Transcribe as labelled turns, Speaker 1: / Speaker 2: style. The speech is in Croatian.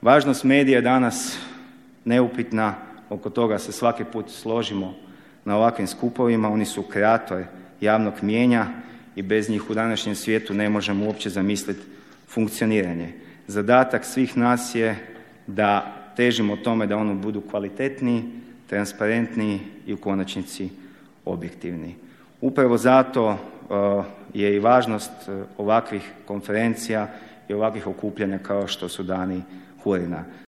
Speaker 1: Važnost medija je danas neupitna, oko toga se svaki put složimo na ovakvim skupovima. Oni su kreator javnog mijenja i bez njih u današnjem svijetu ne možemo uopće zamisliti funkcioniranje. Zadatak svih nas je da težimo tome da oni budu kvalitetniji, transparentniji i u konačnici objektivni. Upravo zato je i važnost ovakvih konferencija i ovakvih okupljanja kao što su Dani Hurina.